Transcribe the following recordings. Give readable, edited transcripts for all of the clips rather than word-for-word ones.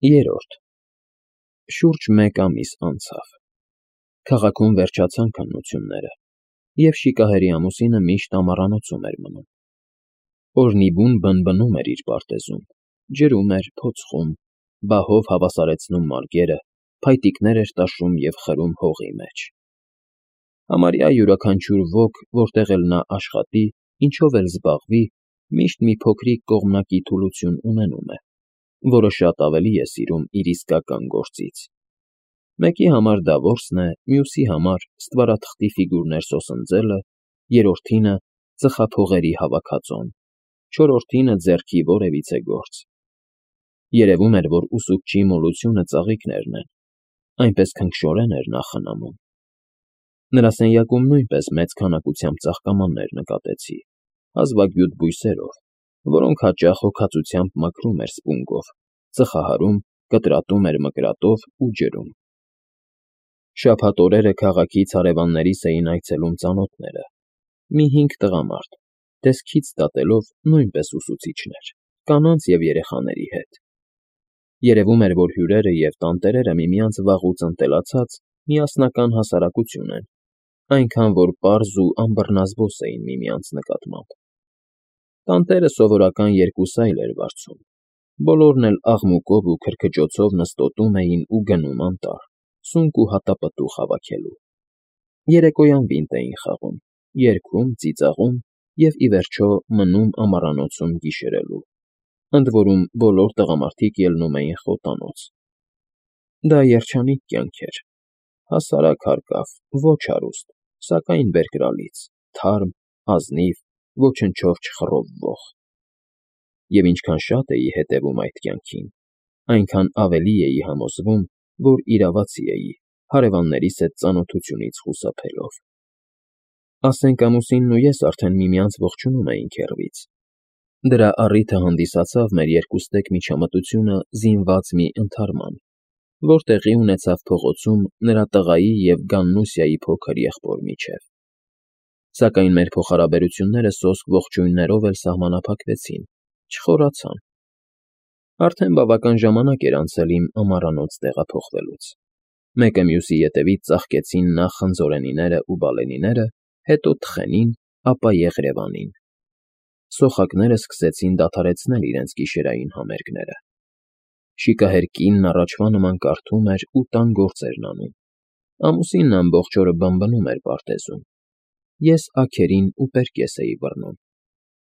Երրորդ Շուրջ մեկ ամիս անցավ։ Քաղաքում վերջացան քննությունները, և շիկահերի ամուսինը միշտ ամառանոցում էր մնում։ Օրնիբուն բնբնում էր իր պարտեզում, ջրում էր, փոցխում, բահով հավասարեցնում մարգերը, փայտիկներ էր տաշում և խրում հողի մեջ։ Համարյա յուրաքանչյուր ոք, որտեղ էլ նա աշխատի, ինչով էլ զբաղվի, միշտ մի փոքրիկ կողմնակի թուլություն ունենում է, որը շատ ավելի է սիրում իր իսկական գործից։ Մեկի համար դա որսն է, մյուսի համար ստվարաթղթի ֆիգուրներ սոսնձելը, երրորդինը ծխափողերի հավաքածոն, չորրորդինը ձեռքի որևիցե գործ։ Երևում էր, որ ուսուցչի մոլությունը ծաղիկներն են, այնպես քնքշորեն էր նա խնամում։ Նրա սենյակում նույնպես մեծ քանակությամբ ծաղկամաններ նկատեցի, հազվագյուտ բույսերով, որոնք հաճախ հոգածությամբ մաքրում էր սպունգով, ծխահարում, կտրատում էր մկրատով ու ջրում։ Շաբաթ օրերը քաղաքից հարևաններիս էին այցելում ծանոթները, մի 5 տղամարդ, տեսքից դատելով նույնպես ուսուցիչներ, կանանց և երեխաների հետ։ Երևում էր, որ հյուրերը և տանտերերը միմյանց վաղուց ընտելացած միասնական հասարակություն են, այնքան որ պարզ ու անբռնազբոս էին միմյանց նկատմամբ։ Տանտերը սովորական 2 սայլ էր վարձում, բոլորն էլ աղմուկով ու քրքջոցով նստոտում էին ու գնում անտառ, սունկ ու հատապտուղ հավաքելու։ Երեկոյան վինտ էին խաղում, երգում, ծիծաղում և, ի վերջո, մնում ամառանոցում գիշերելու, ընդ որում բոլոր տղամարդիկ ելնում էին խոտանոց։ Դա երջանիկ կյանք էր, հասարակ հարկավ, ոչ հարուստ, սակայն բերկրալից, թարմ, ազնիվ, ոչնչով չխռովվող։ Եվ ինչքան շատ էի հետևում այդ կյանքին, այնքան ավելի էի համոզվում, որ իրավացի էի, հարևաններիս հետ ծանոթությունից խուսափելով։ Ասենք ամուսինն ու ես արդեն միմյանց ողջունում էինք հեռվից։ Դրա առիթը հանդիսացավ մեր երկուստեք միջամտությունը զինված մի ընդհարման, որ տեղի ունեցավ փողոցում նրա տղայի և Գաննուսյայի փոքր եղբոր միջև։ Սակայն մեր փոխհարաբերությունները սոսկ ողջույններով էլ սահմանափակվեցին, չխորացան։ Արդեն բավական ժամանակ էր անցել իմ ամառանոց տեղափոխվելուց։ Մեկը մյուսի ետևից ծաղկեցին նախ խնձորենիներն ու բալենիները, հետո թխենին, ապա եղրևանին։ Սոխակները սկսեցին դադարեցնել իրենց գիշերային համերգները։ Շիկահեր կինն առաջվա նման կարդում էր ու տան գործերն անում։ Ամուսինն ամբողջ օրը բնբնում էր պարտեզում։ Ես աքերին ու պերկես էի բռնում։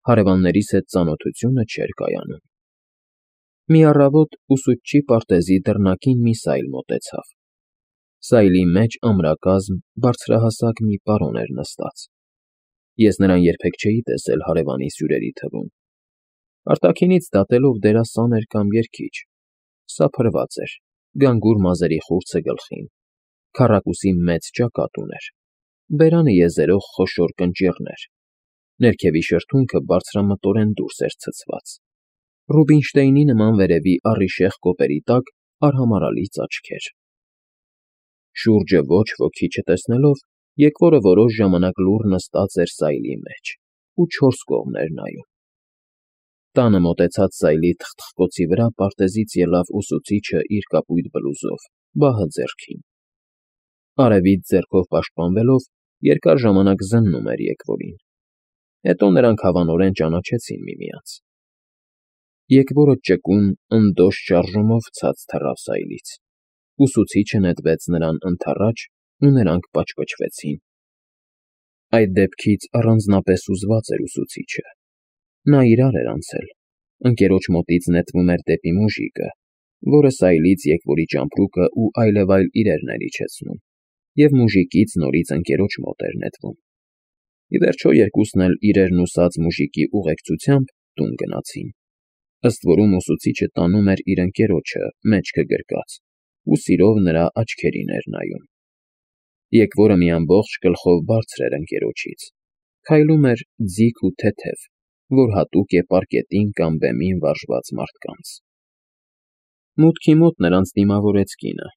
Հարևաններիս հետ ծանոթությունը չէր կայանում։ Մի առավոտ ուսուցչի պարտեզի դռնակին մի սայլ մոտեցավ։ Սայլի մեջ ամրակազմ, բարձրահասակ մի պարոն էր նստած։ Ես նրան երբեք չէի տեսել հարևանիս հյուրերի թվում։ Արտաքինից դատելով դերասան էր կամ երգիչ։ Սափրված էր, գանգուր մազերի խուրձը գլխին, քառակուսի մեծ ճակատ ուներ, բերանը եզերող խոշոր կնճիռներ, ներքևի շրթունքը բարձրամտորեն դուրս էր ցցված, Ռուբինշտեյնի նման վերևի առիշեղ կոպերի տակ արհամարհալի ծաչքեր։ Շուրջը ոչ ոքի չտեսնելով, եկվորը որոշ ժամանակ լուռ նստած էր սայլի մեջ ու 4 կողմ էր նայում։ Տանը մոտեցած սայլի թխթխկոցի վրա պարտեզից ելավ ուսուցիչը իր կապույտ բլուզով, բահը ձեռքին։ Արևից ձեռքով պաշտպանվելով, երկար ժամանակ զննում էր եկվորին։ Հետո նրանք հավանորեն ճանաչեցին միմյանց։ Եկվորը ճկուն, ընդոշ շարժումով ցած թռավ սայլից։ Ուսուցիչը նետվեց նրան ընդառաջ, ու նրանք պաճպճվեցին։ Այդ դեպքից առանձնապես հուզված էր ուսուցիչը։ Նա իրար էր անցել, ընկերոջ մոտից նետվում էր դեպի մուժիկը, որը սայլից եկվորի ճամպրուկը ու այլևայլ իրերն էր իջեցնում, և մուժիկից նորից ընկերոջ մոտ էր նետվում։ Ի վերջո երկուսն էլ իրերն ուսած մուժիկի ուղեկցությամբ տուն գնացին։ Ըստ որում ուսուցիչը տանում էր իր ընկերոջը, մեջքը գրկած, ու սիրով նրա աչքերին էր նայում։ Եկվորը մի ամբողջ գլխով բարձր էր ընկերոջից, քայլում էր ձիգ ու թեթև, որ հատուկ է պարկետին կամ բեմին վարժված մարդկանց։ Մուտքի մոտ նրանց դիմավորեց կինը։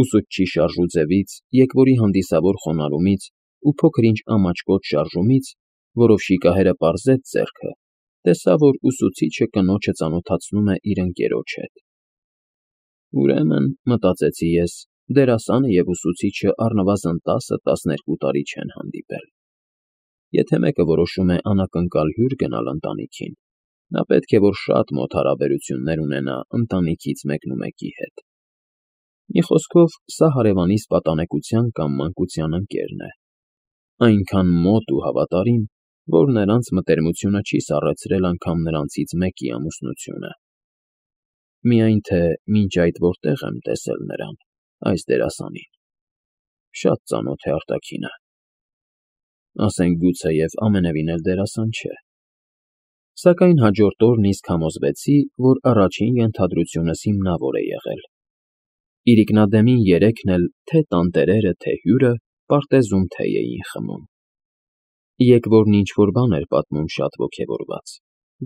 Ուսուցչի շարժուձևից, եկվորի հանդիսավոր խոնարհումից ու փոքր-ինչ ամաչկոտ շարժումից, որով շիկահերը պարզեց ձեռքը, տեսա, որ ուսուցիչը կնոջը ծանոթացնում է իր ընկերոջ հետ։ Ուրեմն, մտածեցի ես, դերասանը և ուսուցիչը առնվազն 10-12 տարի չեն հանդիպել։ Եթե մեկը որոշում է անակնկալ հյուր գնալ ընտանիքին, նա պետք է որ շատ մոտ հարաբերություններ ունենա ընտանիքից մեկնումեկի հետ։ Մի խոսքով, սա հարևանիս պատանեկության կամ մանկության ընկերն է, այնքան մոտ ու հավատարիմ, որ նրանց մտերմությունը չի սառեցրել անգամ նրանցից մեկի ամուսնությունը։ Միայն թե մինչ այդ որտեղ եմ տեսել նրան, այս դերասանին, շատ ծանոթ է արտաքինը։ Ասենք գուցեև ամենևին էլ դերասան չէ։ Սակայն հաջորդ օրն իսկ համոզվեցի, որ առաջին ենթադրությունս հիմնավոր է եղել։ Իրիկնադեմին երեքն էլ թե՛ տանտերերը, թե՛ հյուրը պարտեզում թեյ էին խմում։ Եկվորն ինչ֊որ բան էր պատմում շատ ոգևորված,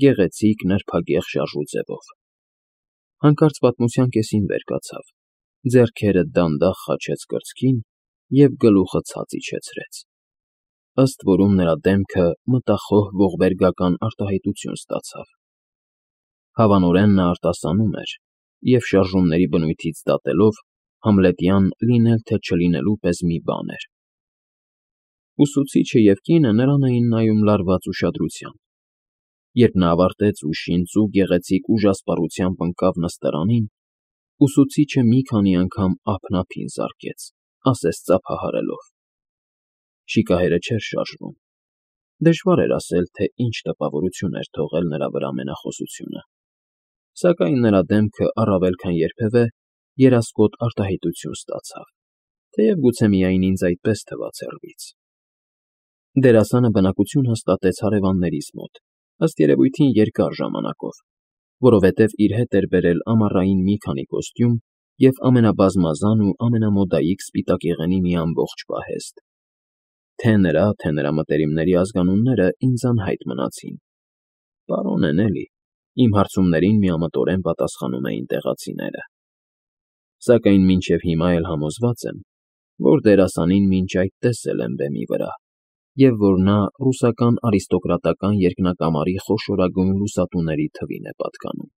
գեղեցիկ, նրբագեղ շարժուձևով։ Հանկարծ պատմության կեսին վեր կացավ, ձեռքերը դանդաղ խաչեց կրծքին և գլուխը ցած իջեցրեց։ Ըստ որում նրա դեմքը մտախոհ ողբերգական արտահայտություն ստացավ։ Հավանորեն նա արտասանում էր և շարժումների բնույթից դատելով համլետյան լինել թե չլինելու պես մի բան էր։ Ուսուցիչը և կինը նրան էին նայում լարված ուշադրությամբ։ Երբ նա ավարտեց ու շինծու գեղեցիկ ուժասպառությամբ ընկավ նստարանին, ուսուցիչը մի քանի անգամ ափնափին զարկեց, ասես ծափահարելով։ Շիկահերը չէր շարժվում։ Դժվար էր ասել, թե ինչ տպավորություն էր թողել նրա վրա մենախոսությունը, սակայն նրա դեմքը առավել քան երբևէ երասկոտ արտահայտություն ստացավ, թեև գուցե միայն ինձ այդպես թվաց հեռվից։ Դերասանը բնակություն հաստատեց հարևաններիս մոտ, ըստ երևույթին երկար ժամանակով, որովհետև իր հետ էր բերել ամառային մի քանի կոստյում և ամենաբազմազան ու ամենամոդայիկ սպիտակեղենի մի ամբողջ պահեստ։ Թե նրա մտերիմների ազգանունները ինձ անհայտ մնացին։ Պարոն են էլի, իմ հարցումներին միամտորեն պատասխանում էին տեղացիները։ Սակայն մինչև հիմա էլ համոզված եմ, որ դերասանին մինչ այդ տեսել եմ բեմի վրա, և որ նա ռուսական արիստոկրատական երկնակամարի խոշորագույն լուսատուների թվին է պատկանում։